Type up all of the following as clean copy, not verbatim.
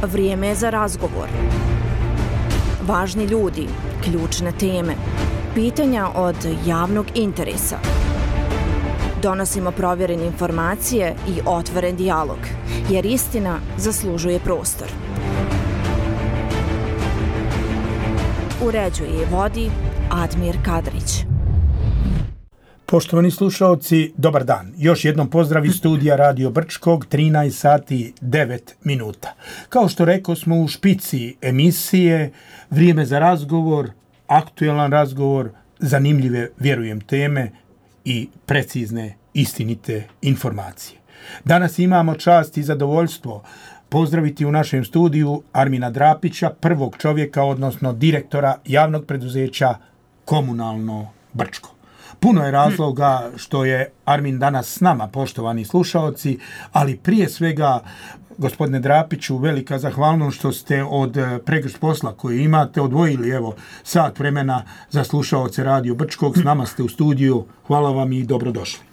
Vrijeme je za razgovor. Važni ljudi, ključne teme, pitanja od javnog interesa. Donosimo provjerene informacije i otvoren dijalog, jer istina zaslužuje prostor. Uređuje i vodi Admir Kadrić. Poštovani slušaoci, dobar dan. Još jednom pozdrav iz studija Radio Brčkog, 13 sati 9 minuta. Kao što rekao smo u špici emisije, vrijeme za razgovor, aktualan razgovor, zanimljive, vjerujem, teme i precizne, istinite informacije. Danas imamo čast i zadovoljstvo pozdraviti u našem studiju Armina Drapića, prvog čovjeka, odnosno direktora javnog preduzeća Komunalno Brčko. Puno je razloga što je Armin danas s nama, poštovani slušaoci, ali prije svega, gospodine Drapiću, velika zahvalnost što ste od pregršt posla koji imate odvojili sat vremena za slušaoce Radio Brčkog. S nama ste u studiju. Hvala vam i dobrodošli.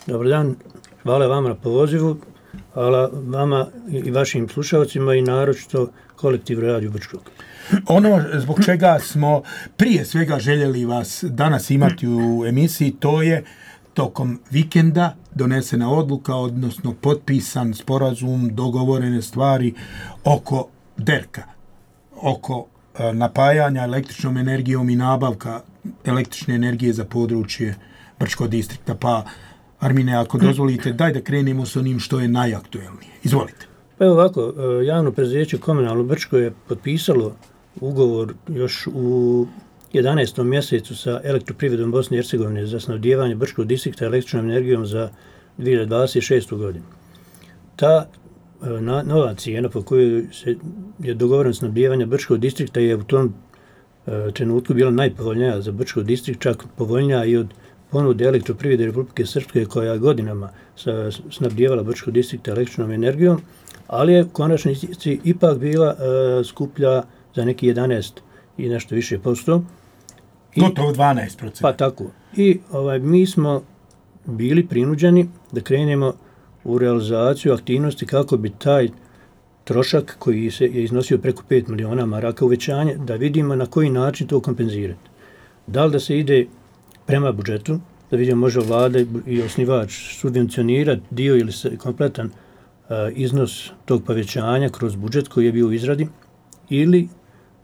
Dobar dan. Hvala vama na pozivu. Hvala vama i vašim slušalcima i naročito kolektivu Radio Brčkog. Ono zbog čega smo prije svega željeli vas danas imati u emisiji, to je tokom vikenda donesena odluka, odnosno potpisan sporazum, dogovorene stvari oko DERK-a, oko napajanja električnom energijom i nabavka električne energije za područje Brčkog distrikta. Pa, Armine, ako dozvolite, daj da krenemo s onim što je najaktuelnije. Izvolite. Pa evo ovako, javno preduzeće Komunalno Brčko je potpisalo ugovor još u 11. mjesecu sa Elektroprivredom Bosne i Hercegovine za snabdijevanje Brčkog distrikta električnom energijom za 2026. godinu. Ta nova cijena po kojoj je dogovoreno snabdijevanje Brčkog distrikta je u tom trenutku bila najpovoljnija za Brčkog distrikt, čak povoljnija i od ponude Elektroprivrede Republike Srpske koja je godinama snabdijevala Brčkog distrikta električnom energijom, ali je u konačnici ipak bila skuplja za neki 11 i nešto više posto. Gotovo 12%. Pa tako. I mi smo bili prinuđeni da krenemo u realizaciju aktivnosti kako bi taj trošak koji se je iznosio preko 5 miliona maraka uvećanje, da vidimo na koji način to kompenzirati. Da li da se ide prema budžetu, da vidimo može vlada i osnivač subvencionirati dio ili kompletan iznos tog povećanja kroz budžet koji je bio u izradi, ili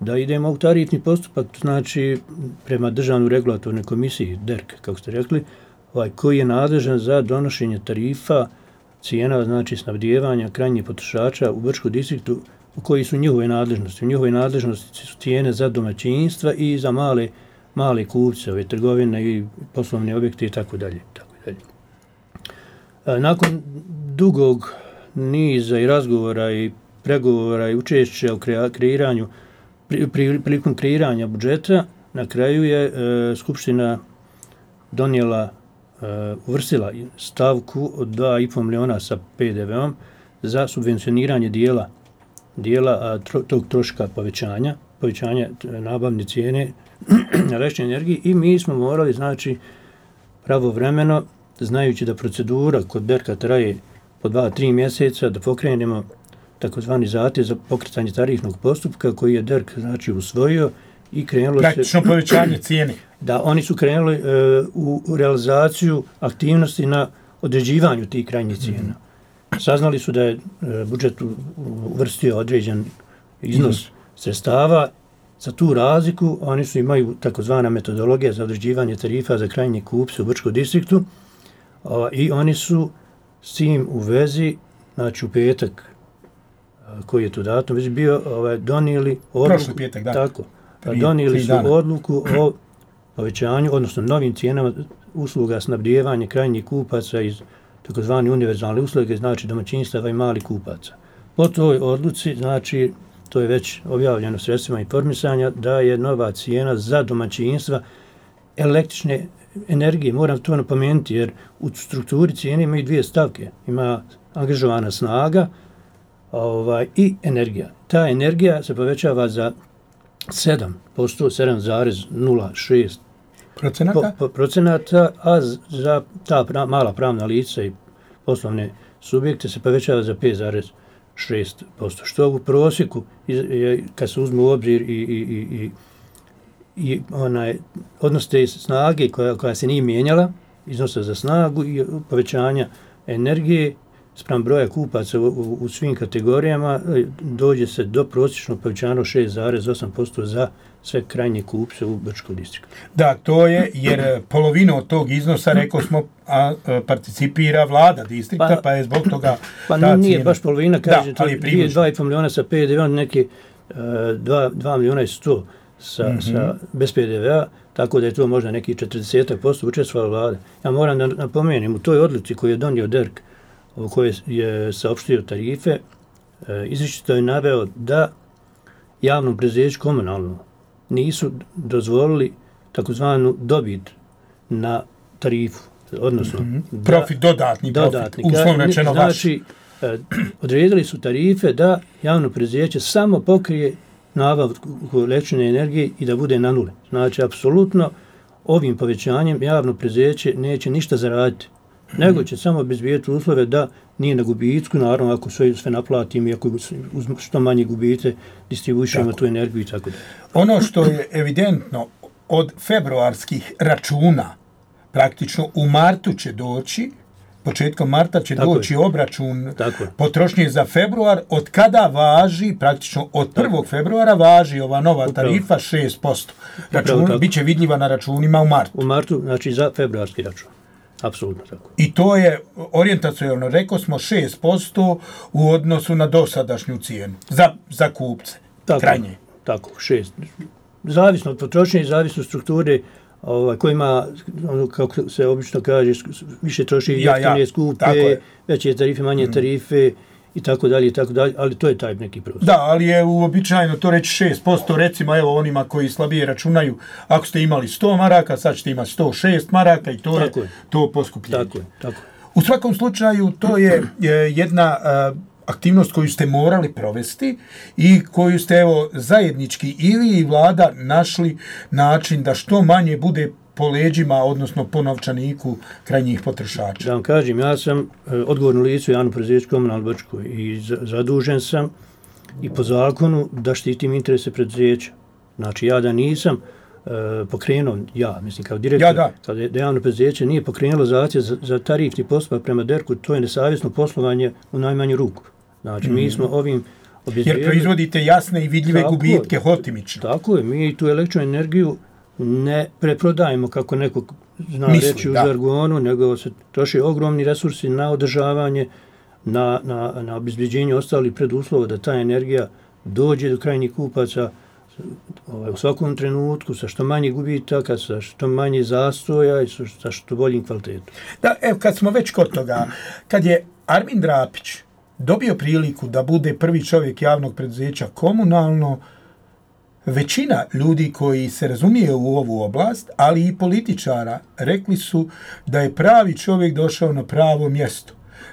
da idemo u tarifni postupak, znači prema Državnoj regulatornoj komisiji, DERK, kako ste rekli, koji je nadležan za donošenje tarifa, cijena, znači snabdijevanja krajnjih potrošača u Brčkom distriktu, koji su njihove nadležnosti. U njihove nadležnosti su cijene za domaćinstva i za male kupce, trgovine i poslovne objekte i tako dalje. Nakon dugog niza i razgovora i pregovora i učešća u kreiranju, prilikom kreiranja budžeta, na kraju je Skupština donijela, uvrstila stavku od 2,5 miliona sa PDV-om za subvencioniranje dijela tog troška povećanja nabavne cijene električne energije, i mi smo morali, znači, pravovremeno, znajući da procedura kod DERK-a traje po 2-3 mjeseca, da pokrenemo takozvani zahtjev za pokretanje tarifnog postupka koji je DERK, znači, usvojio i krenulo praktično povećanje cijene. Da, oni su krenuli u realizaciju aktivnosti na određivanju tih krajnjih cijena. Saznali su da je budžet uvrstio određen iznos sredstava. Za tu razliku oni su imaju takozvana metodologija za određivanje tarifa za krajnje kupce u Brčkom distriktu, i oni su s tim u vezi, znači u petak koji je tu datum već bio, donijeli odluku, prošli petak, da. Tako, donijeli su odluku o povećanju, odnosno novim cijenama usluga snabdijevanja krajnjih kupaca iz takozvane univerzalne usluge, znači domaćinstava i malih kupaca. Po toj odluci, znači, to je već objavljeno sredstvima informisanja, da je nova cijena za domaćinstva električne energije. Moram to napomenuti, jer u strukturi cijene imaju dvije stavke. Ima angažovana snaga i energija. Ta energija se povećava za 7%, 7,06 procenata, a za ta mala pravna lica i poslovne subjekte se povećava za 6%. Što u prosjeku, kad se uzme u obzir i odnos te snage koja se nije mijenjala, iznosa za snagu i povećanja energije spram broja kupaca u svim kategorijama, dođe se do prosječnog povećanja 6,8% za sve krajnje kupce u Brčkom distriktu. Da, to je jer polovinu od tog iznosa, rekao smo, participira vlada distrikta, pa je zbog toga pa nije cijena. Baš polovina, kaže, 2,5 miliona sa PDV-om, neke 2 miliona i 100 sa bez PDV-a, tako da je to možda neki 40% učestvovala vlada. Ja moram da napomenem, u toj odluci koju je donio DERK, u kojoj je saopštio tarife, izričito je naveo da javnom preduzeću komunalno nisu dozvolili takozvanu dobit na tarifu, odnosno profit, dodatni profit, uslovno rečeno vaš. Znači, odredili su tarife da javno preduzeće samo pokrije nabavku električne energije i da bude na nule. Znači, apsolutno ovim povećanjem javno preduzeće neće ništa zaraditi, nego će samo obezbijeti uslove da nije na gubitku, naravno ako sve naplatim i ako što manje gubite, distribuiramo tu energiju i tako da. Ono što je evidentno od februarskih računa, praktično u martu će doći, početkom marta će doći obračun potrošnje za februar, od kada važi, praktično od 1. februara važi ova nova tarifa 6%. Račun biće vidljiva na računima u martu. U martu, znači za februarski račun. Apsolutno tako. I to je orijentacionalno, rekao smo, 6% u odnosu na dosadašnju cijenu za kupce, krajnje. Tako, 6. Zavisno od potrošnje i zavisno od strukture kojima, kako se obično kaže, više troši jeftine, skupe, veće tarife, manje tarife i tako dalje, ali to je taj neki prostor. Da, ali je uobičajeno to reći 6%, recimo evo onima koji slabije računaju, ako ste imali 100 maraka, sad ćete imati 106 maraka i to je to poskupljenje. Tako. U svakom slučaju to je jedna aktivnost koju ste morali provesti i koju ste evo zajednički i vi i vlada našli način da što manje bude po leđima, odnosno po novčaniku krajnjih potrošača. Da vam kažem, ja sam odgovorno lice u javnom preduzeću Komunalno Brčko i zadužen sam i po zakonu da štitim interese preduzeća. Znači ja da nisam pokrenuo, mislim kao direktor, da javno preduzeće nije pokrenulo zahtjev za tarifni postupak prema DERK-u, to je nesavjesno poslovanje u najmanju ruku. Znači mi smo ovim jer proizvodite jasne i vidljive gubitke hotimično. Tako je, mi tu električnu energiju ne preprodajemo kako neko zna reći u žargonu, nego se troši ogromni resursi na održavanje, na obezbeđenje ostalih preduslova da ta energija dođe do krajnjih kupaca u svakom trenutku, sa što manje gubitaka, sa što manje zastoja i sa što boljim kvalitetom. Da, evo, kad smo već kod toga, kad je Armin Drapić dobio priliku da bude prvi čovjek javnog preduzeća Komunalno, većina ljudi koji se razumije u ovu oblast, ali i političara, rekli su da je pravi čovjek došao na pravo mjesto.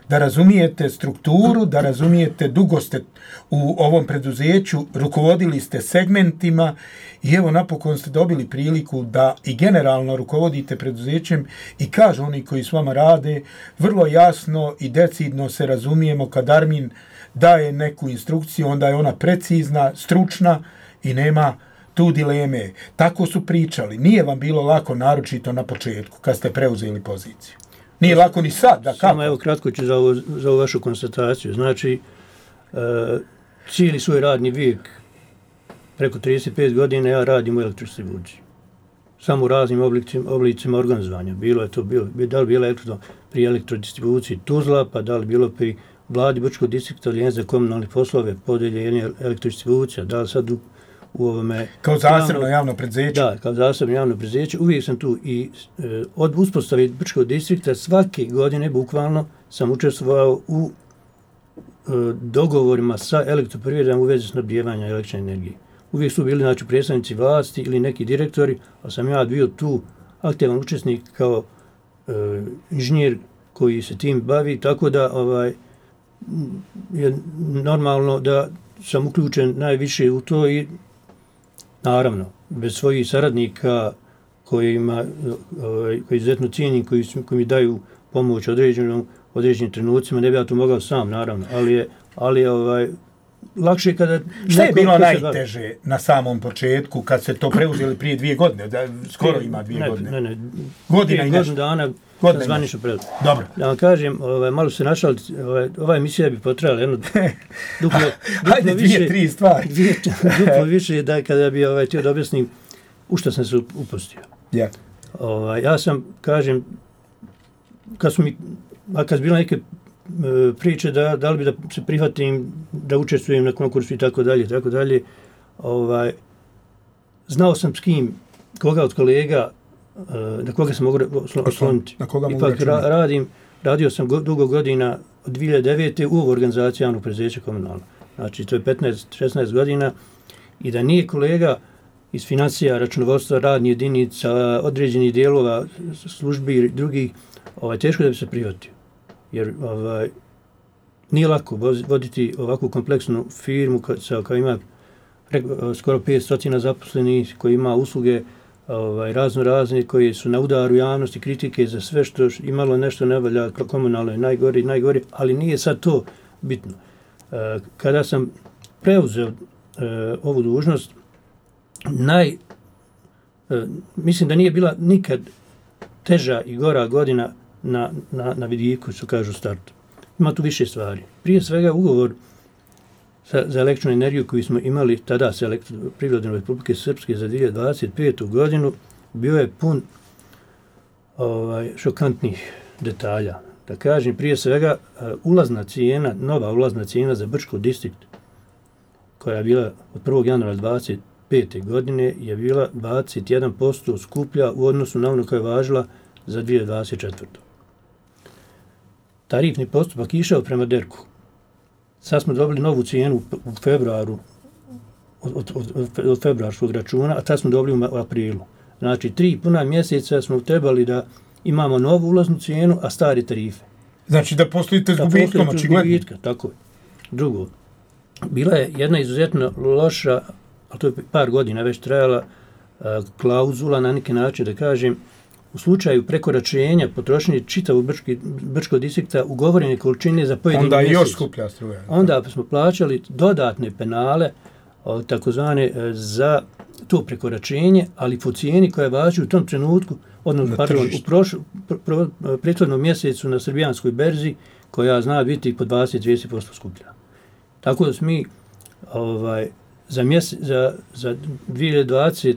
Da razumijete strukturu, da razumijete, dugo ste u ovom preduzeću, rukovodili ste segmentima i evo napokon ste dobili priliku da i generalno rukovodite preduzećem i kažu oni koji s vama rade, vrlo jasno i decidno se razumijemo kad Armin daje neku instrukciju, onda je ona precizna, stručna i nema tu dileme. Tako su pričali. Nije vam bilo lako, naročito na početku, kad ste preuzeli poziciju. Nije lako ni sad, da kako? Samo evo kratko ću za ovu vašu konstataciju. Znači, cijeli svoj radni vijek, preko 35 godina, ja radim u elektrodistribuciji. Samo u raznim oblicima organizovanja. Da li bilo pri elektrodistribuciji Tuzla, pa da li bilo pri vladi Brčkog distrikta za komunalne poslove, podeljenje elektrodistribucija, da li sad u ovome... Kao zasebno javno preduzeće? Da, kao zasebno javno preduzeće. Uvijek sam tu i od uspostave Brčkog distrikta svake godine bukvalno sam učestvovao u dogovorima sa elektroprivredom u vezi snabdijevanja električne energije. Uvijek su bili znači, predstavnici vlasti ili neki direktori, a sam ja bio tu aktivan učesnik kao inženjer koji se tim bavi, tako da je normalno da sam uključen najviše u to i naravno, bez svojih saradnika koji izuzetno cijenim, koji mi daju pomoć određenim trenucima, ne bi ja to mogao sam, naravno, ali je lakše kada... Šta je bilo najteže na samom početku, kad se to preuzeli prije 2 godine? Skoro ima 2 godine. Ne. Godina i nešto. Godinu dana zvanično preuzeli. Dobro. Da vam kažem, malo se našao, ova emisija bi potrajala jedno duplo Hajde, više. 2-3 stvari. Duplo više da kada bi htio da objasnim u što sam se upustio. Yeah. Ja sam, kažem, kad su bilo neke priče da li bi da se prihvatim, da učestvujem na konkursu i tako dalje, znao sam s kim, koga od kolega, na koga sam mogu osloniti. Ipak radio sam dugo godina od 2009. u organizaciji javnog preduzeća komunalno. Znači, to je 15-16 godina i da nije kolega iz financija, računovodstva, radnih jedinica, određenih dijelova, službi i drugih, teško da bi se prihvatio. Jer nije lako voditi ovakvu kompleksnu firmu koja ima skoro 500 zaposlenih, koja ima usluge razne, koji su na udaru javnosti, kritike za sve što imalo nešto ne valja, komunalno je najgori, ali nije sad to bitno. Kada sam preuzeo ovu dužnost, mislim da nije bila nikad teža i gora godina na vidiku, što kažu u startu. Ima tu više stvari. Prije svega ugovor za električnu energiju koju smo imali tada sa Privredom Republike Srpske za 2025. godinu bio je pun šokantnih detalja. Da kažem, prije svega nova ulazna cijena za Brčko distrikt, koja je bila od 1. januara 2025. godine, je bila 21% skuplja u odnosu na ono koja je važila za 2024. Tarifni postupak išao prema DERK-u. Sad smo dobili novu cijenu u februaru, od februarskog računa, a tad smo dobili u aprilu. Znači, 3 puna mjeseca smo trebali da imamo novu ulaznu cijenu, a stari tarife. Znači da poslujete s gubitkom, očigledno. Tako je. Drugo, bila je jedna izuzetno loša, ali to je par godina već trajala, klauzula na neki način, da kažem, u slučaju prekoračenja potrošnje čitavog Brčkog distrikta ugovorene količine za pojedini mjesec. Onda još skuplja struja. Onda smo plaćali dodatne penale, takozvane, za to prekoračenje, ali po cijeni koja važi u tom trenutku, u prethodnom mjesecu na srbijanskoj berzi, koja zna biti po 20-30% skuplja. Tako da smo mi za 2025.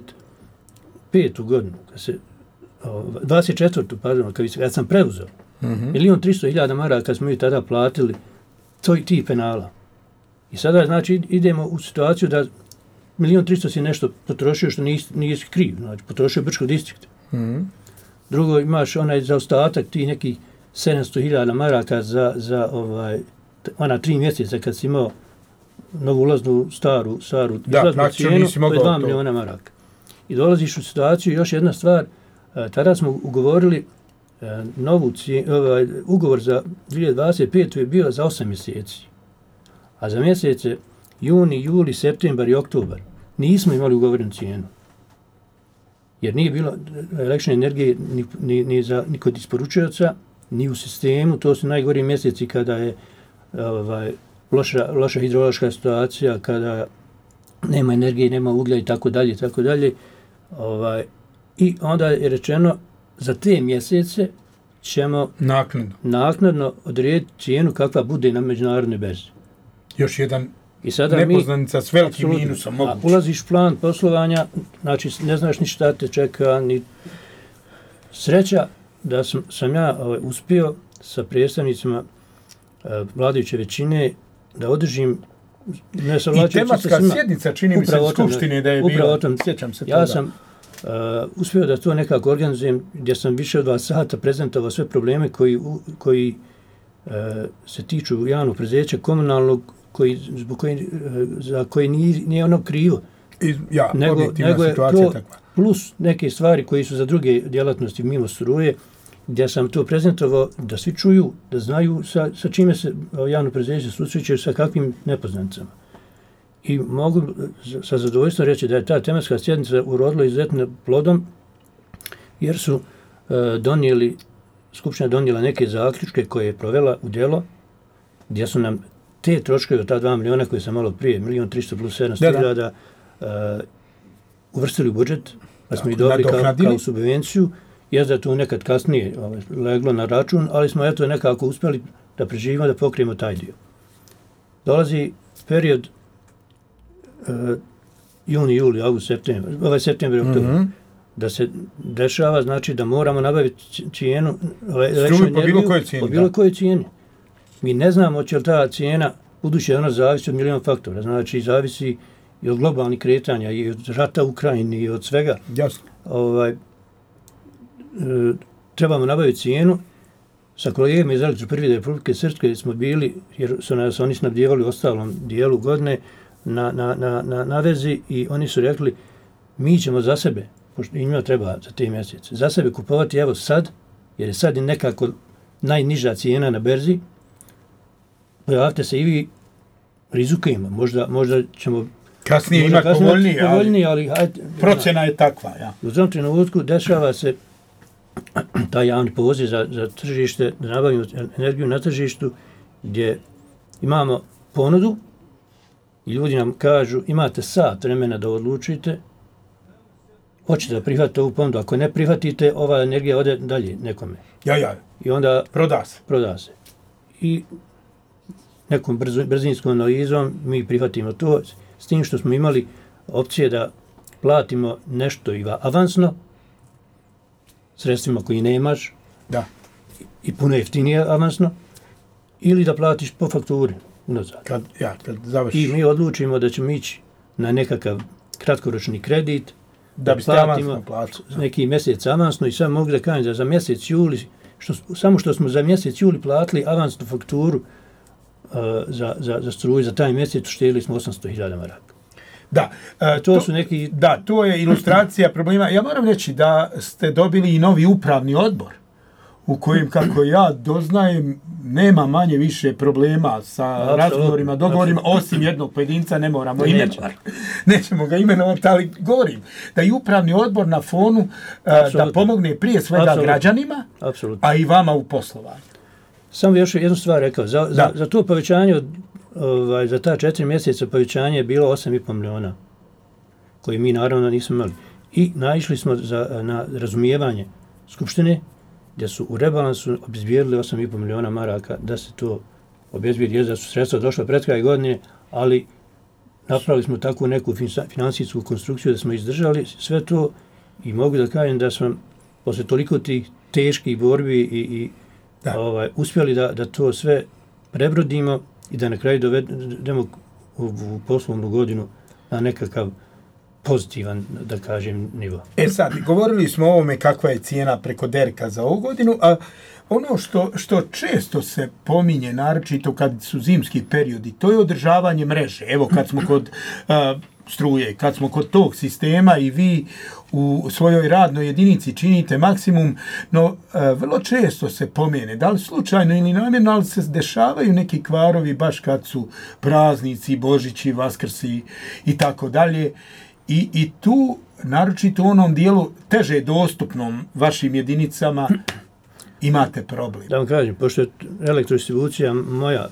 godinu, 24. pardon, kad sam preuzeo, 1.300.000 maraka smo mi tada platili tih penala. I sada, znači, idemo u situaciju da 1.300.000 si nešto potrošio što nisi kriv, znači, potrošio Brčko distrikt. Drugo, imaš onaj zaostatak tih nekih 700.000 maraka za ona 3 mjeseca kad si imao novu ulaznu staru izlaznu cijenu, to je 2 miliona maraka. I dolaziš u situaciju, još jedna stvar, tada smo ugovorili ugovor za 2025. je bio za 8 mjeseci. A za mjesece juni, juli, septembar i oktobar nismo imali ugovorenu cijenu. Jer nije bilo električne energije ni kod isporučioca, ni u sistemu. To su najgori mjeseci kada je loša hidrološka situacija, kada nema energije, nema uglja i tako dalje. I onda je rečeno za te mjesece ćemo naknadno odrediti cijenu kakva bude na međunarodnoj berzi. Još jedan nepoznanica s velikim minusom moguće. Ulaziš u plan poslovanja, znači ne znaš ni šta te čeka, ni sreća da sam ja uspio sa predstavnicima vladajuće većine da održim i tematska sjednica, čini mi se, skupštine da je bila, sjećam se toga. Ja sam uspio da to nekako organizujem, gdje sam više od 2 sata prezentovao sve probleme koji se tiču javnog preduzeća komunalnog, za koje nije ono krivo. Nego je to takva. Plus neke stvari koji su za druge djelatnosti mimo struje, gdje sam to prezentovao da svi čuju, da znaju sa čime se javno preduzeće susreće, sa kakvim nepoznanicama. I mogu sa zadovoljstvom reći da je ta tematska sjednica urodila izuzetno plodom, jer su donijeli Skupština donijela neke zaključke koje je provela u djelo, gdje su nam te troškove od ta 2 miliona koje sam malo prije, 1.300.000 plus 700.000 uvrstili u budžet, pa smo ih dobili kao subvenciju. Jest da je to nekad kasnije leglo na račun, ali smo eto nekako uspjeli da preživimo, da pokrijemo taj dio. Dolazi period juni, juli, august, septembar, septembar, oktobar, da se dešava, znači da moramo nabaviti cijenu struju po bilo kojoj cijeni. Mi ne znamo će li ta cijena, budući ona zavisi od milion faktora, znači zavisi i od globalnih kretanja, i od rata u Ukrajini, i od svega. Jasno. Trebamo nabaviti cijenu. Sa kolegama iz Elektroprivrede Republike Srpske smo bili, jer su nas oni snabdjevali u ostalom dijelu godine na vezi, i oni su rekli mi ćemo za sebe, pošto njima treba za te mjesece, za sebe kupovati evo sad, jer je sad nekako najniža cijena na berzi, pojavite se i vi, rizikujemo, možda ćemo kasnije imati povoljnije, ali procjena je takva. Ja. U tom trenutku dešava se taj javni poziv za tržište, da nabavimo energiju na tržištu, gdje imamo ponudu i ljudi nam kažu imate sat vremena da odlučite, hoćete da prihvatite ovu ponudu, ako ne prihvatite, ova energija ode dalje nekome. I onda proda se. I nekom brzinskom analizom mi prihvatimo to, s tim što smo imali opcije da platimo nešto avansno, sredstvima koji nemaš, i puno jeftinije avansno, ili da platiš po fakturi unazad. Kad završiš. I mi odlučimo da ćemo ići na nekakav kratkoročni kredit, da biste avansno platili. Neki mjesec avansno, i sad mogu da kažem da za mjesec juli, samo što smo za mjesec juli platili avansnu fakturu za struju, za taj mjesec uštedili smo 800.000 maraka. Da, to je ilustracija problema. Ja moram reći da ste dobili i novi upravni odbor, u kojem, kako ja doznajem, nema manje više problema sa razgovorima, dogovorima, osim jednog pojedinca, ne moramo imenovati. Nećemo ga imenovati, ali govorim da i upravni odbor na fonu da pomogne prije svega građanima, a i vama u poslovanju. Samo još jednu stvar rekao, za to povećanje za ta 4 mjeseca povećanje je bilo 8,5 miliona, koje mi naravno nismo imali. I naišli smo na razumijevanje Skupštine, gdje su u rebalansu obezbijedili 8,5 miliona maraka da se to obezbijedi, da su sredstva došla pred kraj godine, ali napravili smo takvu neku financijsku konstrukciju da smo izdržali sve to, i mogu da kažem da smo posle toliko tih teških borbi i uspjeli da to sve prebrodimo i da na kraju dovedemo u poslovnu godinu na nekakav pozitivan, da kažem, nivo. Sad, govorili smo o ovome kakva je cijena preko derka za ovu godinu, a ono što često se pominje, naročito kad su zimski periodi, to je održavanje mreže. Evo, kad smo kod struje, kad smo kod tog sistema i vi u svojoj radnoj jedinici činite maksimum, no vrlo često se pomene, da li slučajno ili namjerno, ali se dešavaju neki kvarovi baš kad su praznici, Božići, Vaskrsi i tako dalje. I tu, naročito u onom dijelu teže dostupnom vašim jedinicama, imate problem. Da vam kažem, pošto je elektrodistribucija moja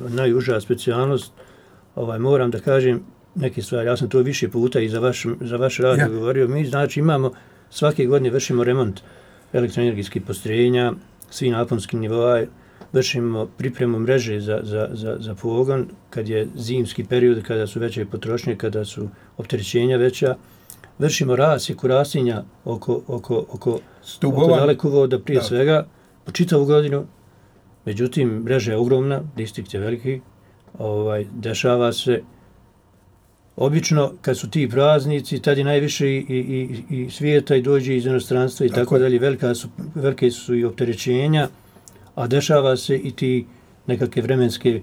najuža specijalnost, moram da kažem neke stvari. Ja sam to više puta i za vaš radio govorio. Mi, znači, imamo, svake godine vršimo remont elektroenergetskih postrojenja, svi naponski nivoa, vršimo pripremu mreže za pogon, kad je zimski period, kada su veće potrošnje, kada su opterećenja veća. Vršimo rasjeku rastinja oko dalekovoda prije svega, po čitavu godinu. Međutim, mreža je ogromna, distrikt je veliki, dešava se. Obično, kad su ti praznici, tad je najviše i svijeta i dođe iz inostranstva i tako dalje, velike su i opterećenja, a dešava se i ti nekakve vremenske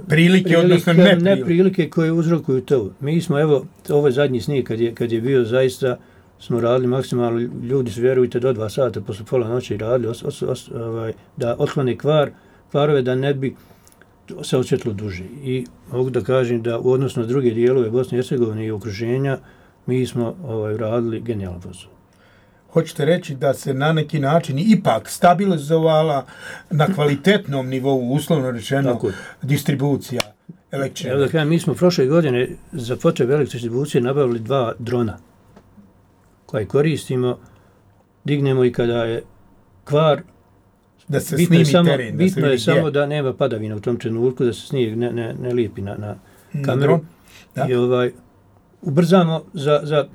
prilike, odnosno neprilike koje uzrokuju to. Mi smo, evo, ovo je zadnji snijeg kad je bio, zaista smo radili maksimalno, ljudi su, vjerujte, do 2 sata posle pola noći radili da otklone kvarove, da ne bi se osjetilo duže. I mogu da kažem da u odnosu na druge dijelove Bosne i Hercegovine i okruženja, mi smo radili genijalan posao. hoćete reći da se na neki način ipak stabilizovala na kvalitetnom nivou, uslovno rečeno, distribucija električne energije. Evo da kažem, mi smo prošle godine za potrebe električne distribucije nabavili 2 drona koje koristimo, dignemo i kada je kvar, da se snimi teren. Bitno je samo da nema padavina u tom trenutku, da se snijeg ne lijepi na kameru. I ubrzamo za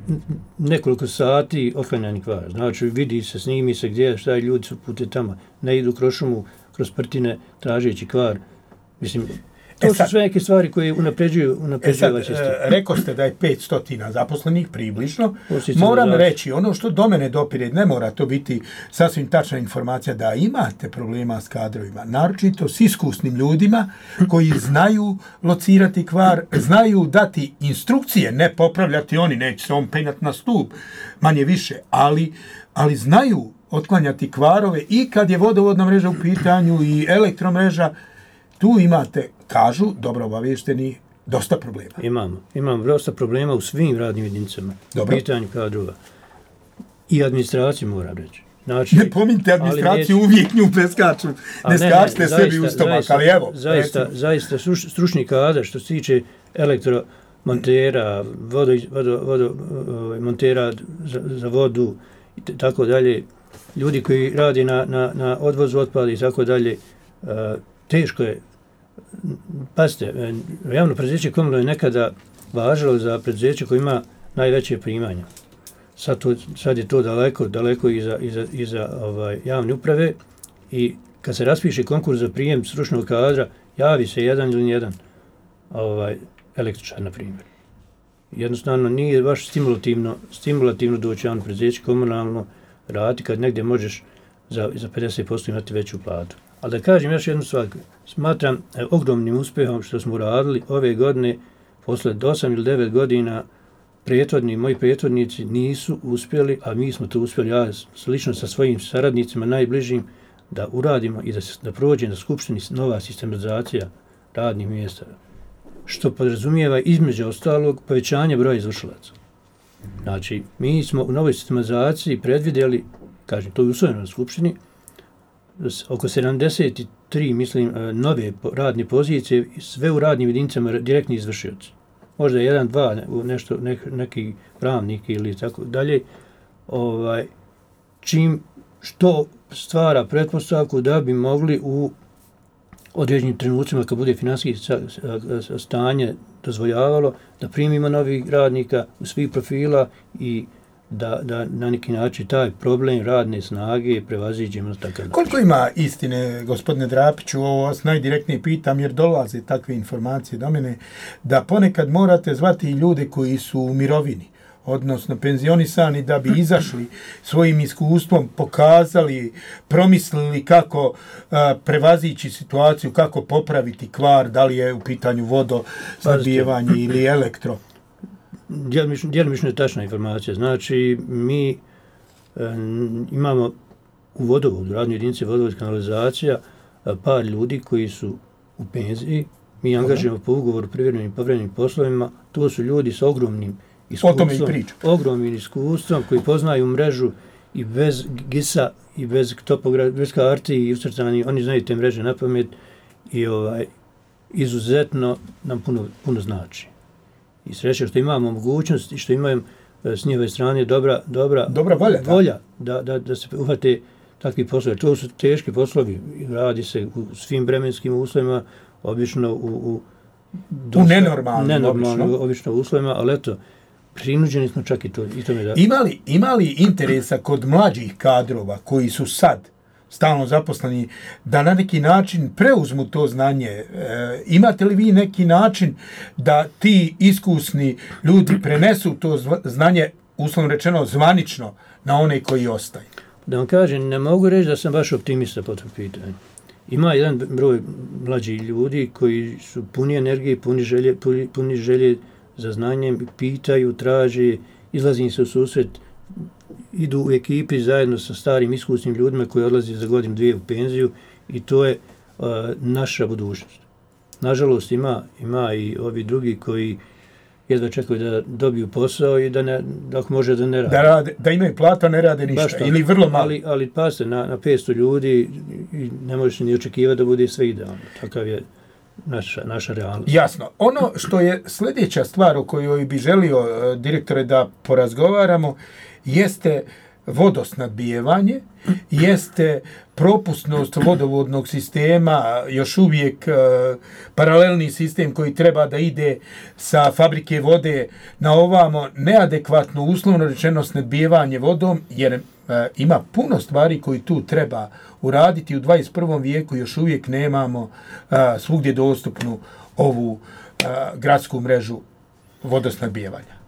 nekoliko sati otklanjanje kvara. Znači vidi se, snimi se gdje, šta je, ljudi su pute tamo, ne idu kroz šumu, kroz prtine, tražeći kvar. Mislim, to su sve neke stvari koje unapređuju ovaj sistem. Rekao ste da je 500 zaposlenih približno. Moram reći, ono što do mene dopire, ne mora to biti sasvim tačna informacija, da imate problema s kadrovima, naročito s iskusnim ljudima koji znaju locirati kvar, znaju dati instrukcije, ne popravljati oni, neće se on penjati na stup, manje više, ali znaju otklanjati kvarove i kad je vodovodna mreža u pitanju i elektromreža. Tu imate, kažu, dobro obavješteni, dosta problema. Imamo dosta problema u svim radnim jedinicama. U pitanju kadrova. I administraciju moram reći. Znači, ne pominjte administraciju, uvijek nju preskaču. Ne skačite sebi u stomak, ali evo. Zaista stručni kadar što se tiče elektromontera, montera za vodu i tako dalje, ljudi koji radi na odvozu otpada i tako dalje, teško je. Pazite, javno preduzeće Komunalno je nekada važilo za preduzeće koje ima najveće primanja. Sad je to daleko iza javne uprave i kad se raspiše konkurs za prijem stručnog kadra, javi se jedan ili jedan električar, na primjer. Jednostavno nije baš stimulativno doći javno preduzeće Komunalno raditi kad negdje možeš za 50% imati veću platu. Ali da kažem još jednu stvar, smatram ogromnim uspjehom što smo radili ove godine, posle 8 ili 9 godina, moji prethodnici nisu uspjeli, a mi smo to uspjeli, ja slično sa svojim saradnicima najbližim, da uradimo i da prođe na skupštini nova sistematizacija radnih mjesta, što podrazumijeva između ostalog povećanje broja izvršilaca. Znači, mi smo u novoj sistematizaciji predvidjeli, kažem, to je usvojeno na skupštini, oko 73, mislim, nove radne pozicije, sve u radnim jedinicama direktni izvršioci. Možda 1-2, neki pravnik ili tako dalje, što stvara pretpostavku da bi mogli u određenim trenucima, kad bude finansijsko stanje dozvoljavalo, da primimo novih radnika u svih profila i da na neki način taj problem radne snage prevaziđemo na takav način. Koliko ima istine, gospodine Drapiću, ovo vas najdirektnije pitam jer dolaze takve informacije do mene, da ponekad morate zvati i ljude koji su u mirovini, odnosno penzionisani, da bi izašli svojim iskustvom, pokazali, promislili kako prevazići situaciju, kako popraviti kvar, da li je u pitanju vodosnabdijevanje ili elektro. Djelomično je tačna informacija. Znači, mi imamo u vodovodu, radnoj jedinici vodovod kanalizacija, par ljudi koji su u penziji. Mi angažujemo po ugovoru privremenim i povremenim poslovima. To su ljudi sa ogromnim iskustvom koji poznaju mrežu i bez GIS-a i bez karti i ucrtani. Oni znaju te mreže na pamet i izuzetno nam puno znači. I sreća što imamo mogućnost i što imaju s njihove strane dobra volja da se uhvate takvi poslovi. To su teški poslovi. Radi se u svim vremenskim uslovima, obično u nenormalnim obično uslovima, ali eto, prinuđeni smo čak i tome da... Ima li interesa kod mlađih kadrova koji su sad stalno zaposleni, da na neki način preuzmu to znanje? Imate li vi neki način da ti iskusni ljudi prenesu to znanje, uslovno rečeno, zvanično na one koji ostaju? Da vam kažem, ne mogu reći da sam baš optimista po tom pitanju. Ima jedan broj mlađih ljudi koji su puni energije, puni želje za znanjem, pitaju, traže, izlazi se u susret, idu u ekipi zajedno sa starim iskusnim ljudima koji odlaze za godinu, dvije u penziju i to je naša budućnost. Nažalost ima i ovi drugi koji jedva čekaju da dobiju posao i da ako može da ne rade. Da imaju platu, a ne rade ništa, ili vrlo malo. Ali pasite, na 500 ljudi i ne možeš ni očekivati da bude sve idealno. Takav je naša realnost. Jasno. Ono što je sljedeća stvar o kojoj bi želio, direktore, da porazgovaramo, jeste vodosnadbijevanje, jeste propusnost vodovodnog sistema, još uvijek paralelni sistem koji treba da ide sa fabrike vode na ovamo, neadekvatno, uslovno rečeno, snadbijevanje vodom, jer ima puno stvari koji tu treba uraditi. U 21. vijeku još uvijek nemamo svugdje dostupnu ovu gradsku mrežu vodosnadbijevanja.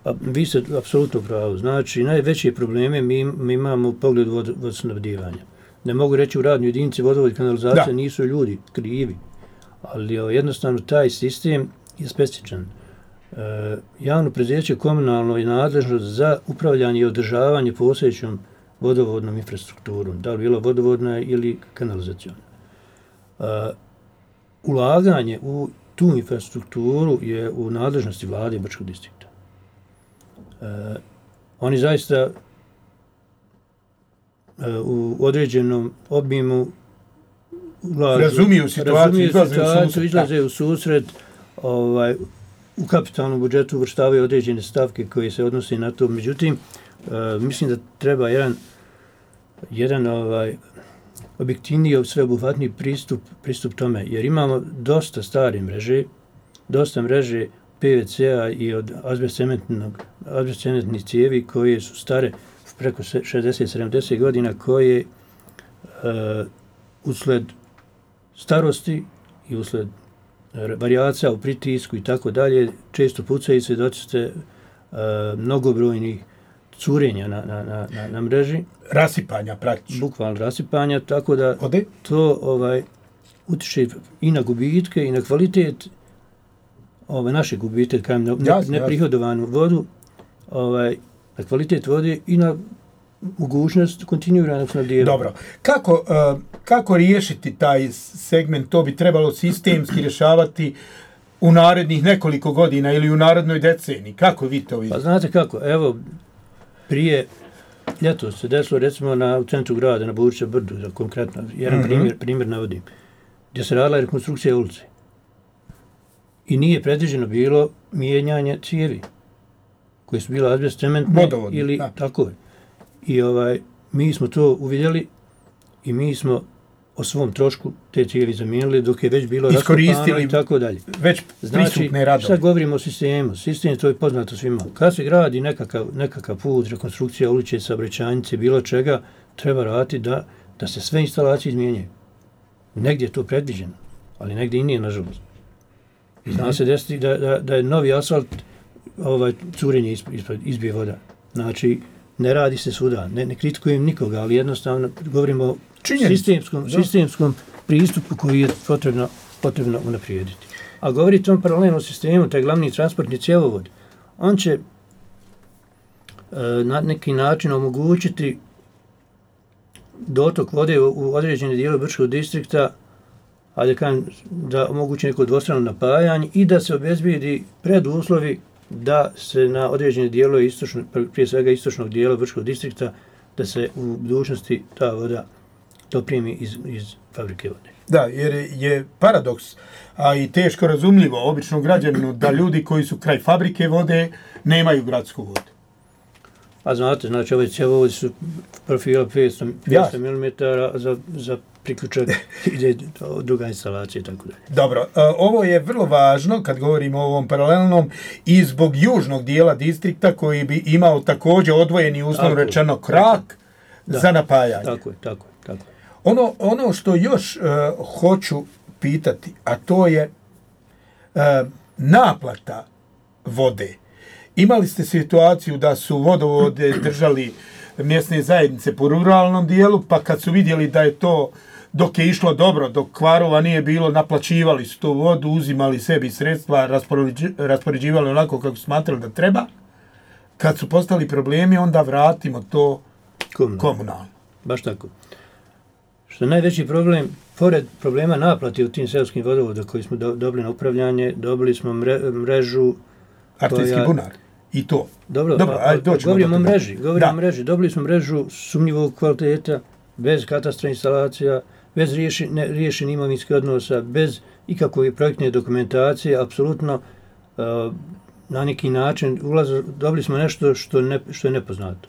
Pa, vi ste apsolutno pravo. Znači, najveće probleme mi imamo u pogledu vodosnabdijevanja. Ne mogu reći u radnoj jedinici vodovod i kanalizacija nisu ljudi krivi, ali jednostavno taj sistem je specifičan. Javno preduzeće komunalno je nadležno za upravljanje i održavanje postojećom vodovodnom infrastrukturom, da li bilo vodovodna ili kanalizacijona. Ulaganje u tu infrastrukturu je u nadležnosti vlade Brčkog distrikta. Oni zaista u određenom obimu razumiju situaciju, izlaze u susret, u kapitalnom budžetu uvrštavaju određene stavke koje se odnose na to. Međutim, mislim da treba jedan objektivniji, sveobuhvatniji pristup tome, jer imamo dosta stare mreže, dosta mreže PVC-a i od azbestcementnih cijevi koje su stare preko 60-70 godina, koje usled starosti i usled varijacija u pritisku i tako dalje, često pucaju, svjedoci ste mnogobrojnih curenja na mreži. Rasipanja praktično. Bukvalno rasipanja, tako da to utiče i na gubitke i na kvalitet naše gubitke, kajem neprihodovanu vodu, na kvalitet vode i na mogućnost kontinuiranog snabdijevanja. Dobro. Kako riješiti taj segment? To bi trebalo sistemski rješavati u narednih nekoliko godina ili u narednoj deceniji. Kako vi to vidite? Pa znate kako, evo, prije ljetos se desilo recimo u centru grada, na Burića brdu, za konkretno, jedan primjer navodim, gdje se radila rekonstrukcija ulice. I nije predviđeno bilo mijenjanje cijevi, koje su bila azbestcementne ili tako je. I mi smo to uvidjeli i mi smo o svom trošku te cijevi zamijenili dok je već bilo raskopano i tako dalje. Već prisutne radove. Sad govorimo o sistemu. Sistem to je poznato svima. Kad se gradi nekakav put, rekonstrukcija ulice, saobraćajnice, bilo čega, treba raditi da se sve instalacije izmijenjaju. Negdje je to predviđeno, ali negdje i nije, nažalost. I zna se desiti da je novi asfalt curenje izbije voda. Znači, ne radi se svuda. Ne kritikujem nikoga, ali jednostavno govorimo o sistemskom pristupu koji je potrebno unaprijediti. A govoriti o tom paralelnom sistemu, taj glavni transportni cjevovod, on će na neki način omogućiti dotok vode u određene dijele Brčkog distrikta, da omogući neko dvostrano napajanje i da se obezbijedi preduslovi da se na određene dijelove prije svega istočnog dijela Brčkog distrikta, da se u budućnosti ta voda doprimi iz fabrike vode. Da, jer je paradoks, a i teško razumljivo običnom građaninu da ljudi koji su kraj fabrike vode nemaju gradsku vodu. A znate, znači ove cjevovodi su profila 500 mm za priključak ide druga instalacija i tako dalje. Dobro, ovo je vrlo važno kad govorimo o ovom paralelnom i zbog južnog dijela distrikta koji bi imao također odvojeni, uslovno rečeno, krak za napajanje. Tako je. Ono što još hoću pitati, a to je naplata vode. Imali ste situaciju da su vodovode držali mjesne zajednice po ruralnom dijelu, pa kad su vidjeli da je to, dok je išlo dobro, dok kvarova nije bilo, naplaćivali su tu vodu, uzimali sebi sredstva, raspoređivali onako kako smatrali da treba. Kad su postali problemi, onda vratimo to komunalno. Baš tako. Što je najveći problem, pored problema naplati u tim seoskim vodovoda koji smo dobili na upravljanje, dobili smo mrežu Artijski bunar. I to. Dobro, govorimo o mreži. Govorimo o mreži. Dobili smo mrežu sumnjivog kvaliteta, bez katastra instalacija, bez riješenih imovinskih odnosa, bez ikakve projektne dokumentacije, apsolutno na neki način dobili smo nešto što je nepoznato.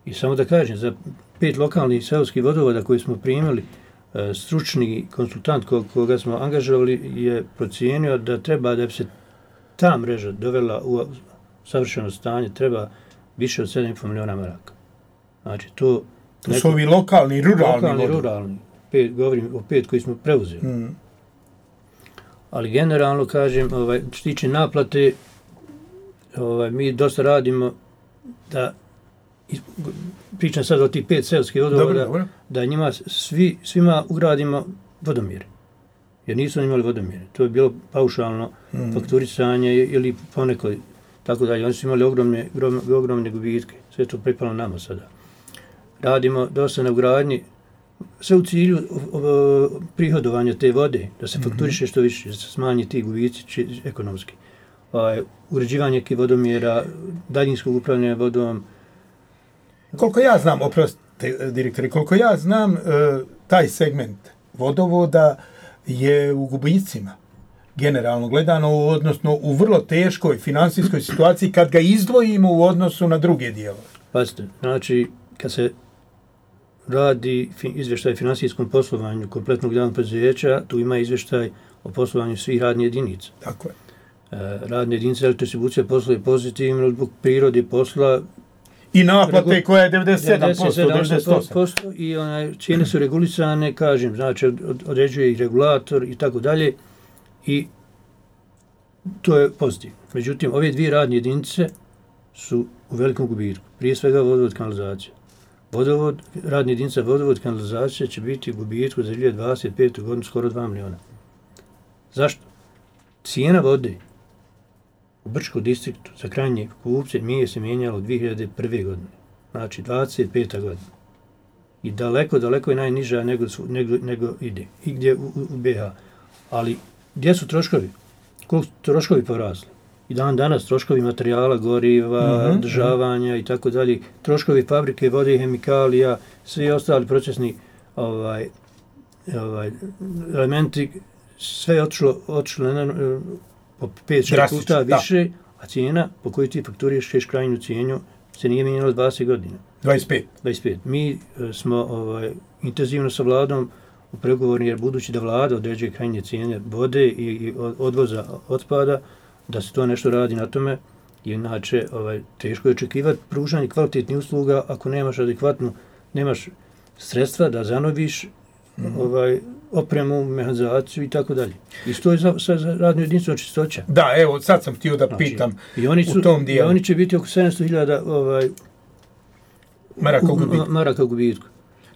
I samo da kažem, za 5 lokalnih seoskih vodovoda koje smo primili, stručni konsultant koga smo angažovali je procijenio da treba da bi se ta mreža dovela u savršeno stanje, treba više od 7,5 miliona maraka. Znači, to su ovi lokalni, ruralni. Govorim o 5 koji smo preuzeli. Ali generalno, kažem, što tiče naplate, mi dosta radimo da, pričam sad o tih 5 seoskih vodovoda, da njima svima ugradimo vodomjere. Jer nisu imali vodomjere. To je bilo paušalno fakturisanje ili ponekad, tako dalje. Oni su imali ogromne gubitke. Sve to pripalo nama sada. Radimo dosta na ugradnji, sve u cilju prihodovanja te vode, da se fakturiše što više, da se smanji ti gubici ekonomski. Uređivanje vodomjera, daljinskog upravljanja vodom. Koliko ja znam, oprostite direktori, koliko ja znam, taj segment vodovoda je u gubicima, generalno gledano, odnosno u vrlo teškoj finansijskoj situaciji kad ga izdvojimo u odnosu na druge dijelove. Pazite, znači, kad se radi izvještaj o finansijskom poslovanju kompletnog javnog preduzeća, tu ima izvještaj o poslovanju svih radnih jedinica. Tako je. Radne jedinice elektrodistribucija posluje pozitivno zbog prirode posla. I naplate koja je 97%, 98%. I cijene su regulisane, kažem, znači određuje i regulator i tako dalje. I to je pozitivno. Međutim, ove 2 radne jedinice su u velikom gubitku. Prije svega vodovod kanalizacija. Radna jedinica vodovod kanalizacija će biti u gubitku za 2025. godinu skoro 2 miliona. Zašto? Cijena vode u Brčkom distriktu za krajnje kupce nije se mijenjalo 2001. godine. Znači 25. godina. I daleko je najniža nego ide. I gdje u BiH. Ali gdje su troškovi? Koliko troškovi porasli? I danas troškovi materijala, goriva, održavanja i tako dalje, troškovi fabrike, vode i hemikalija, svi ostali procesni elementi, sve je otišlo po 5-6 puta više, a cijena po kojoj ti fakturiraš krajnju cijenu se nije mijenjala 20 godina. 25. Mi smo intenzivno sa vladom u pregovorima, jer budući da vlada određuje krajnje cijene vode i odvoza otpada, da se to nešto radi na tome, inače teško je očekivati pružanje kvalitetnih usluga ako nemaš sredstva da zanoviš opremu, mehanizaciju i tako dalje. Isto je za radnu jedinicu čistoća. Da, evo, sad sam htio da pitam u tom dijelu. I oni će biti oko 700.000 maraka u gubitku.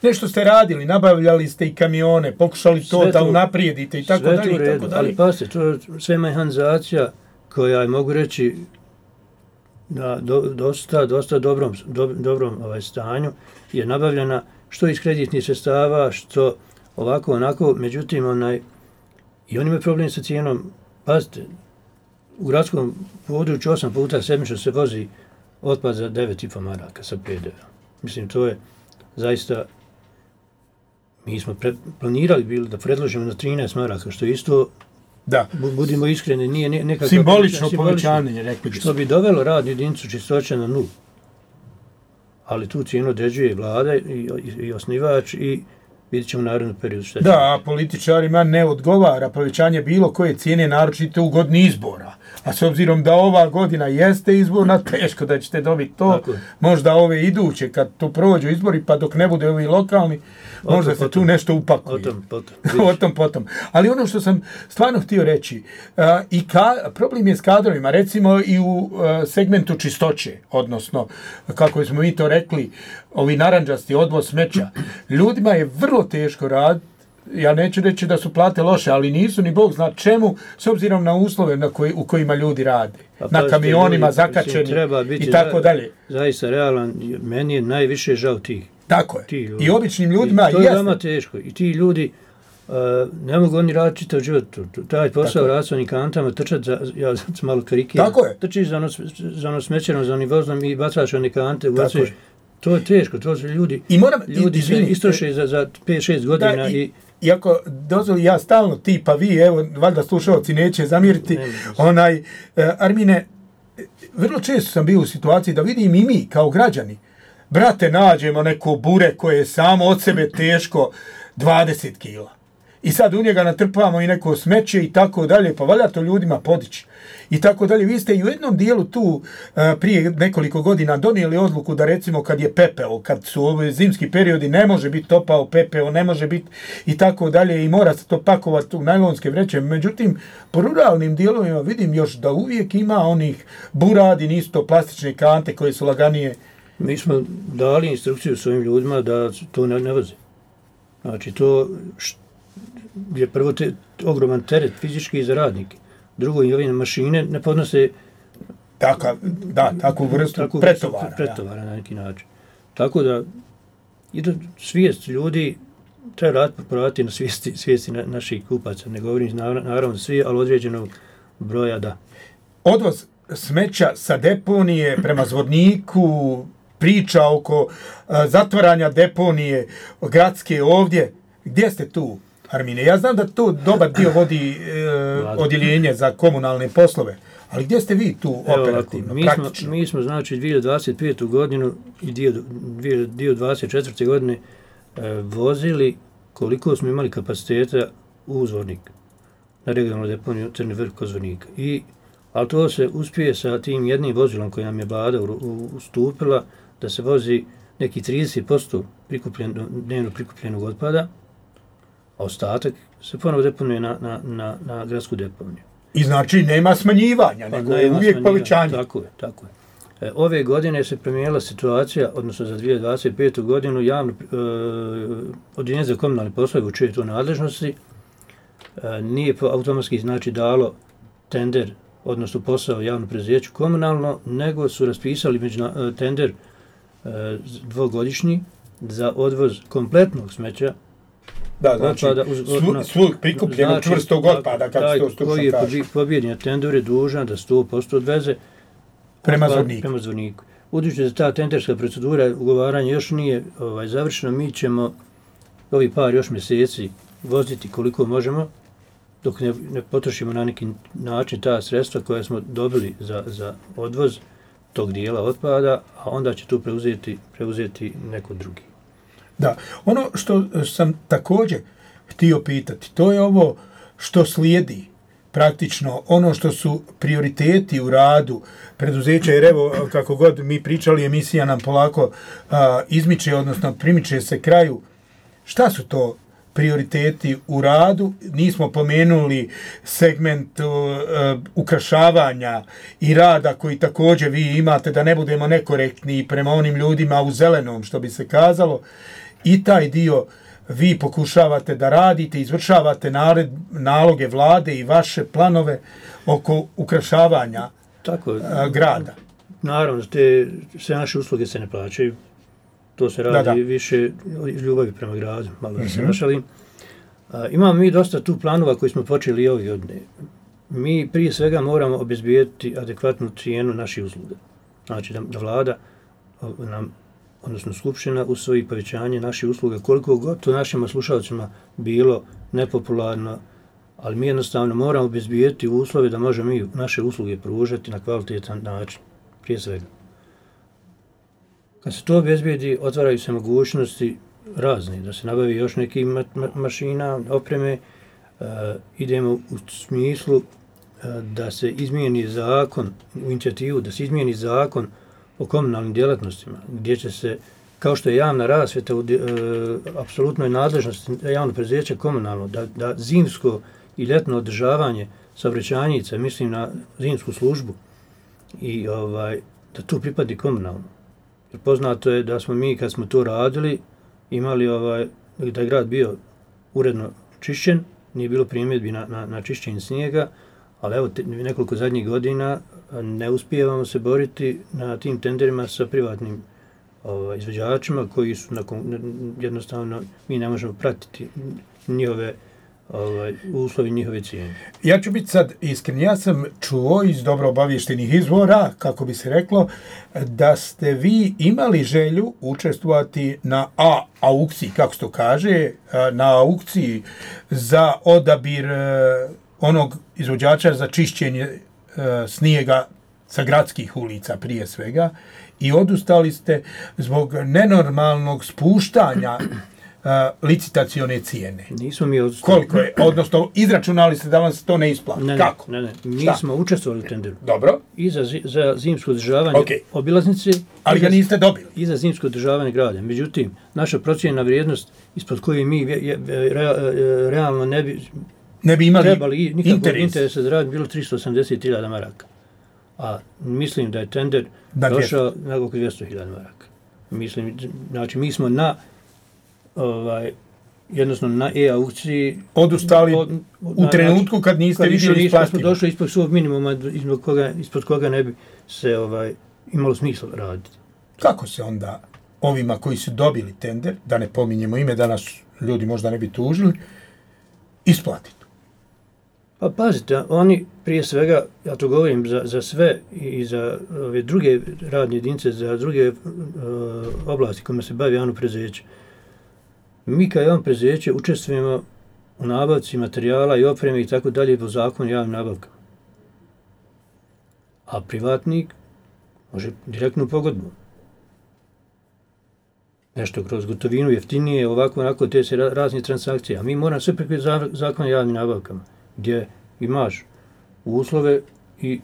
Nešto ste radili, nabavljali ste i kamione, pokušali to da unaprijedite i tako dalje. Sve to ali pasite, to je sve mehanizacija koja je, mogu reći, na dosta dobrom stanju, je nabavljena što iz kreditnih sredstava, što ovako, onako, međutim, i oni imaju problem sa cijenom. Pazite, u gradskom području 8 puta sedmično se vozi otpad za 9,5 maraka sa PDV-om. Mislim, to je zaista, mi smo planirali bili da predložimo na 13 maraka, što je isto, da, budimo iskreni, nije nekako simbolično povećanje, rekli što bi dovelo radnu jedinicu čistoće na 0. Ali tu cijenu određuje vlada i osnivač i vidjet ćemo u narednom periodu što je. Da, a političarima ne odgovara povećanje bilo koje cijene, naročito u godini izbora. A s obzirom da ova godina jeste izborna, teško da ćete dobiti to. Možda ove iduće, kad tu prođu izbori, pa dok ne bude ovi lokalni, možda se tu nešto upakuje. Potom. Ali ono što sam stvarno htio reći, problem je s kadrovima, recimo i u segmentu čistoće, odnosno, kako smo mi to rekli, ovi narandžasti odvoz smeća. Ljudima je vrlo teško raditi. Ja neću reći da su plate loše, ali nisu ni Bog zna čemu, s obzirom na uslove u kojima ljudi rade. Na kamionima zakačeni i tako dalje. Zaista realan, meni je najviše žao tih. Tako je. I običnim ljudima to je veoma teško. I ti ljudi, Ne mogu oni raditi čitav život. Taj posao rad s onim kantama, trčati ja sam malo karikiram. Trčiš za ono smećerom, za onim voznom i bacaš one kante, ubacuješ. To je teško, to su ljudi. Ljudi se istroše za 5-6 godina Iako dozvoli ja stalno ti pa vi, evo, valjda slušalci neće zamjeriti, Armine, vrlo često sam bio u situaciji da vidim i mi kao građani, brate, nađemo neko bure koje je samo od sebe teško 20 kila. I sad u njega natrpamo i neko smeće i tako dalje, pa valja to ljudima podići. I tako dalje. Vi ste i u jednom dijelu tu prije nekoliko godina donijeli odluku da recimo kad je pepeo, kad su ove zimski periodi, ne može biti topao pepeo, ne može biti i tako dalje i mora se to pakovati u najlonske vreće. Međutim, po ruralnim dijelovima vidim još da uvijek ima onih buradi, nisu to plastične kante koje su laganije. Mi smo dali instrukciju svojim ljudima da to ne voze. Znači, to je prvo ogroman teret fizički za radnike. Drugo, i ove mašine ne podnose takvu vrstu pretovara na neki način. Tako da svijest ljudi treba popraviti na svijesti naših kupaca. Ne govorim naravno svi, ali određenog broja da. Odvoz smeća sa deponije prema Zvorniku, priča oko zatvaranja deponije gradske ovdje. Gdje ste tu, Armine? Ja znam da to dobar dio vodi odjeljenje za komunalne poslove, ali gdje ste vi tu operativno, praktično? Mi smo znači 2025. godinu i dio 2024. godine vozili koliko smo imali kapaciteta u Zvornik, na regionalnu deponiju Crni Vrh kod Zvornika. Ali to se uspije sa tim jednim vozilom koji nam je vlada ustupila da se vozi neki 30% dnevno prikupljenog otpada, a ostatak se ponovo deponuje na gradsku deponiju. I znači nema smanjivanja, nego je uvijek povećanje. Tako je. Ove godine se promijenila situacija, odnosno za 2025. godinu, Odjeljenje za komunalne poslove u čijoj to nadležnosti nije automatski znači dalo tender, odnosno posao javno preduzeću komunalno, nego su raspisali tender dvogodišnji za odvoz kompletnog smeća. Da, znači, svog prikupljenog čvrstog otpada, kako se to stručno kaže. Koji je pobjednja tender je dužan da 100% odveze prema Zvorniku. Budući da ta tenderska procedura ugovaranja još nije završena, mi ćemo ovi par još mjeseci voziti koliko možemo, dok ne potrošimo na neki način ta sredstva koja smo dobili za odvoz tog dijela otpada, a onda će tu preuzeti neko drugi. Da, ono što sam također htio pitati, to je ovo što slijedi praktično, ono što su prioriteti u radu preduzeća, jer evo, kako god mi pričali, emisija nam polako izmiče, odnosno primiče se kraju. Šta su to prioriteti u radu? Nismo pomenuli segment ukrašavanja i rada koji također vi imate, da ne budemo nekorektni prema onim ljudima u zelenom, što bi se kazalo. I taj dio vi pokušavate da radite, izvršavate naloge vlade i vaše planove oko ukrašavanja grada. Naravno, sve naše usluge se ne plaćaju. To se radi više ljubavi prema gradu, malo da se našalim. Imamo mi dosta tu planova koji smo počeli ove godine. Mi prije svega moramo obezbijediti adekvatnu cijenu naših usluga. Znači da vlada nam, odnosno skupština, usvoji povećanje naših usluga, koliko god to našim slušalcima bilo nepopularno, ali mi jednostavno moramo obezbijediti uslove da možemo mi naše usluge pružati na kvalitetan način, prije svega. Kad se to obezbijedi, otvaraju se mogućnosti razne, da se nabavi još neki mašina, opreme, idemo u smislu da se izmijeni zakon, u inicijativu da se izmijeni zakon o komunalnim djelatnostima, gdje će se, kao što je javna rasvjeta, apsolutno je nadležnost javno preduzeće komunalno, da zimsko i ljetno održavanje saobraćajnica, mislim na zimsku službu, i da to pripadi komunalno. Jer poznato je da smo mi, kad smo to radili, imali da je grad bio uredno čišćen, nije bilo primjedbi na čišćenje snijega, ali evo nekoliko zadnjih godina ne uspijevamo se boriti na tim tenderima sa privatnim izvođačima koji su jednostavno, mi ne možemo pratiti njihove uslovi njihove cijene. Ja ću biti sad iskren, ja sam čuo iz dobro obavještenih izvora, kako bi se reklo, da ste vi imali želju učestvovati na aukciji, kako se to kaže, na aukciji za odabir onog izvođača za čišćenje snijega sa gradskih ulica prije svega i odustali ste zbog nenormalnog spuštanja licitacione cijene. Nismo mi odustali. Koliko je? Odnosno, izračunali ste da vam se to ne isplati. Kako? Ne. Mi smo učestvovali u tenderu. Dobro. I za zimsko održavanje obilaznice. Ali ga niste dobili. I za zimsko održavanje grada. Međutim, naša procjena vrijednost ispod koje mi realno ne bi imali trebali nikakvog interesa da radi bilo 380.000 maraka. A mislim da je tender došao na oko 200.000 maraka. Mislim, znači mi smo jednostavno na e-aukciji odustali u trenutku kad niste vidjeli isplativo. Smo došli ispod svog minimuma ispod koga ne bi se imalo smisla raditi. Kako se onda ovima koji su dobili tender, da ne pominjemo ime, da nas ljudi možda ne bi tužili, isplatiti? Pa pazite, oni prije svega, ja to govorim za sve i za ove druge radne jedinice, za druge oblasti kojima se bavi javno preduzeće. Mi kao javno preduzeće učestvujemo u nabavci materijala i opreme i tako dalje po zakonu javnim nabavkama. A privatnik može direktnu pogodbu. Nešto kroz gotovinu jeftinije, ovako, onako, te se razne transakcije. A mi moramo sve preko zakona javnim nabavkama, gdje imaš uslove i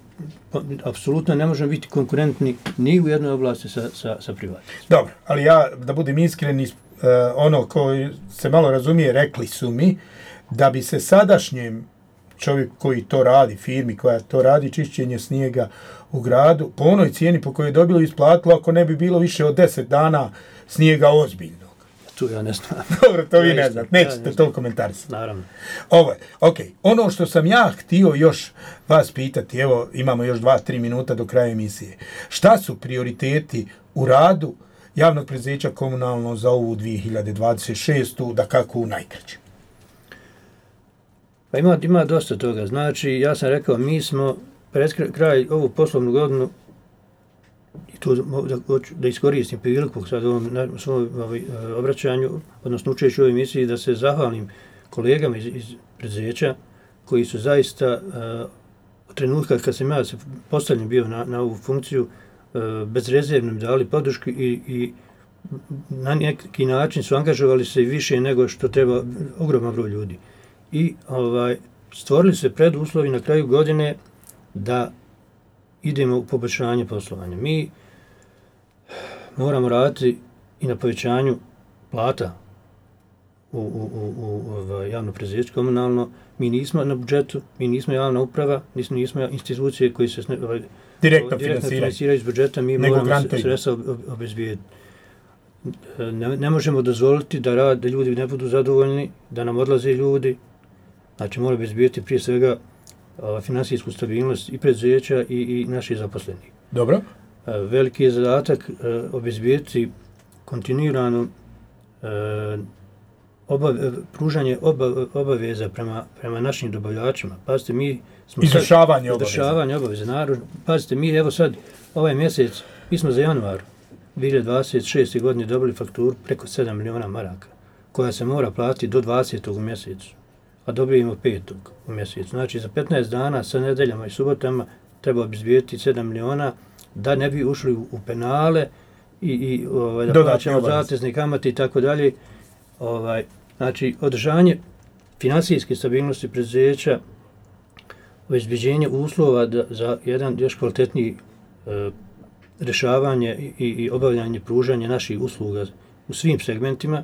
apsolutno ne možemo biti konkurentni ni u jednoj oblasti sa privatnicima. Dobro, ali ja, da budem iskren, ono koji se malo razumije, rekli su mi da bi se sadašnjem čovjek koji to radi, firmi koja to radi, čišćenje snijega u gradu, po onoj cijeni po kojoj je dobilo isplatilo, ako ne bi bilo više od 10 dana snijega ozbiljnog. Tu ja ne znam. Dobro, to vi ne znate, nećete to komentarisati. Naravno. Ono što sam ja htio još vas pitati, evo imamo još 2-3 minuta do kraja emisije. Šta su prioriteti u radu javnog preduzeća komunalno za ovu 2026. da kako najkraće? Pa ima dosta toga. Znači, ja sam rekao, mi smo pred kraj ovu poslovnu godinu, i tu da iskoristim priliku sad u ovom svom obraćanju, odnosno učeći u ovoj emisiji, da se zahvalim kolegama iz preduzeća koji su zaista u trenutku kad sam ja postavljen bio na ovu funkciju, bezrezervno mi dali podršku i na neki način su angažovali se više nego što treba ogroman broj ljudi. I stvorili se preduslovi na kraju godine da idemo u poboljšanje poslovanja. Mi moramo raditi i na povećanju plata u javno preduzeće komunalno. Mi nismo na budžetu, mi nismo javna uprava, nismo institucije koji se direktno finansiraju iz budžeta, mi moramo sredstva obezbijediti. Ne možemo dozvoliti da ljudi ne budu zadovoljni, da nam odlaze ljudi. Znači, moramo obezbijediti prije svega finansijsku stabilnost i preduzeća i naših zaposlenih. Dobro. Veliki je zadatak obezbijediti kontinuirano pružanje obaveza prema našim dobavljačima. Pazite, mi smo izvršavanje obaveza. Pazite, mi evo sad, ovaj mjesec, mi smo za januar 2026. godine dobili fakturu preko 7 miliona maraka, koja se mora platiti do 20. u mjesecu, a dobijemo 5. u mjesecu. Znači, za 15 dana sa nedeljama i subotama treba obezbijediti 7 miliona da ne bi ušli u penale i da plaćamo zatezne kamate i tako dalje. Znači, održanje finansijske stabilnosti preduzeća, obezbeđenje uslova za jedan još kvalitetniji rješavanje i obavljanje pružanja naših usluga u svim segmentima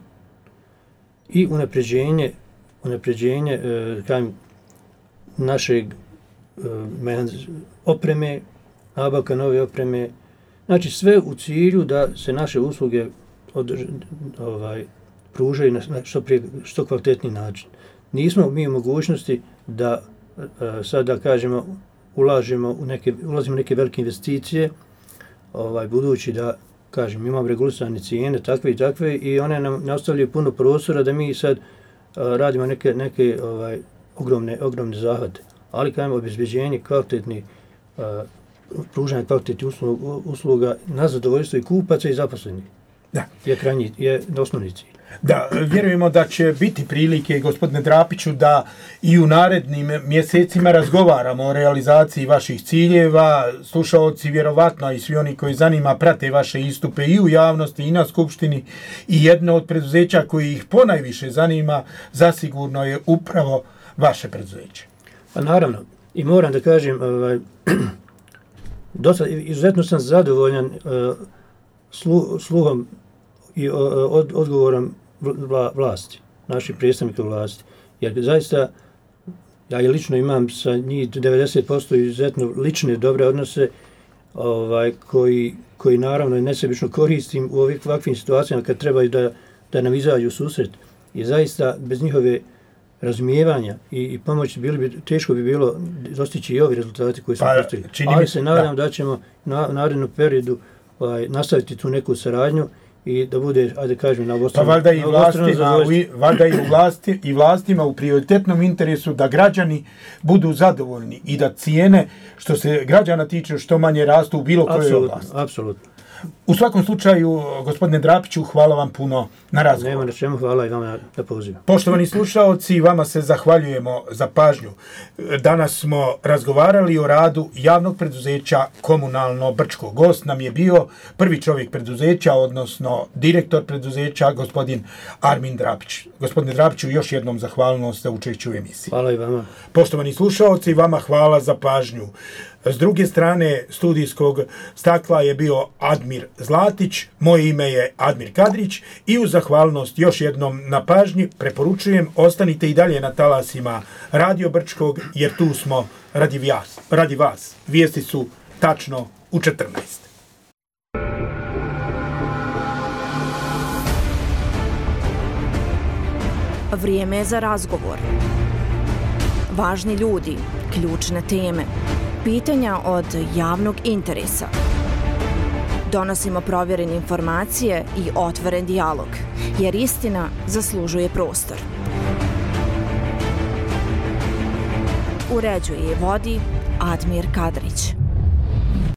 i unapređenje našeg opreme, nabavka nove opreme, znači sve u cilju da se naše usluge pružaju na što kvalitetniji način. Nismo mi u mogućnosti da sada kažemo ulazimo u neke velike investicije, budući da kažem imamo regulisane cijene takve i takve i one nam ne ostavljaju puno prostora da mi sad radimo neke ogromne zahvate, ali kažemo obezbeđenje kvalitetnih pružanje kvalitetnih usluga na zadovoljstvo i kupaca i zaposlenih. Da. Je osnovni cilj. Da, vjerujemo da će biti prilike, gospodine Drapiću, da i u narednim mjesecima razgovaramo o realizaciji vaših ciljeva. Slušaoci vjerovatno i svi oni koji zanima prate vaše istupe i u javnosti i na skupštini, i jedno od preduzeća koji ih ponajviše zanima zasigurno je upravo vaše preduzeće. Pa naravno, i moram da kažem, izuzetno sam zadovoljan sluhom i odgovorom vlasti, naših predstavnika vlasti. Jer zaista, ja lično imam sa njih 90% izuzetno lične dobre odnose koji naravno nesebično koristim u ovakvim situacijama kad trebaju da nam izađu u susret. I zaista bez njihove razumijevanja i pomoći teško bi bilo dostići i ovi rezultati koji su postigli. Ali se nadam da ćemo na narednom periodu nastaviti tu neku saradnju i da bude, ajde kažem, na obostrano zadovoljstvo. Valjda i vlastima u prioritetnom interesu da građani budu zadovoljni i da cijene, što se građana tiče, što manje rastu u bilo kojoj oblasti. Apsolutno. U svakom slučaju, gospodine Drapiću, hvala vam puno na razgovor. Nema na čemu, hvala i vama na pozivu. Poštovani slušaoci, vama se zahvaljujemo za pažnju. Danas smo razgovarali o radu javnog preduzeća Komunalno Brčko. Gost nam je bio prvi čovjek preduzeća, odnosno direktor preduzeća, gospodin Armin Drapić. Gospodine Drapiću, još jednom zahvalnost za učešće u emisiji. Hvala i vama. Poštovani slušaoci, vama hvala za pažnju. S druge strane studijskog stakla je bio Admir Zlatić, moje ime je Admir Kadrić i uz zahvalnost još jednom na pažnji preporučujem ostanite i dalje na talasima Radio Brčkog jer tu smo radi vas. Vijesti su tačno u 14. Vrijeme je za razgovor. Važni ljudi, ključne teme, pitanja od javnog interesa. Donosimo provjerene informacije i otvoren dijalog, jer istina zaslužuje prostor. Uređuje i vodi Admir Kadrić.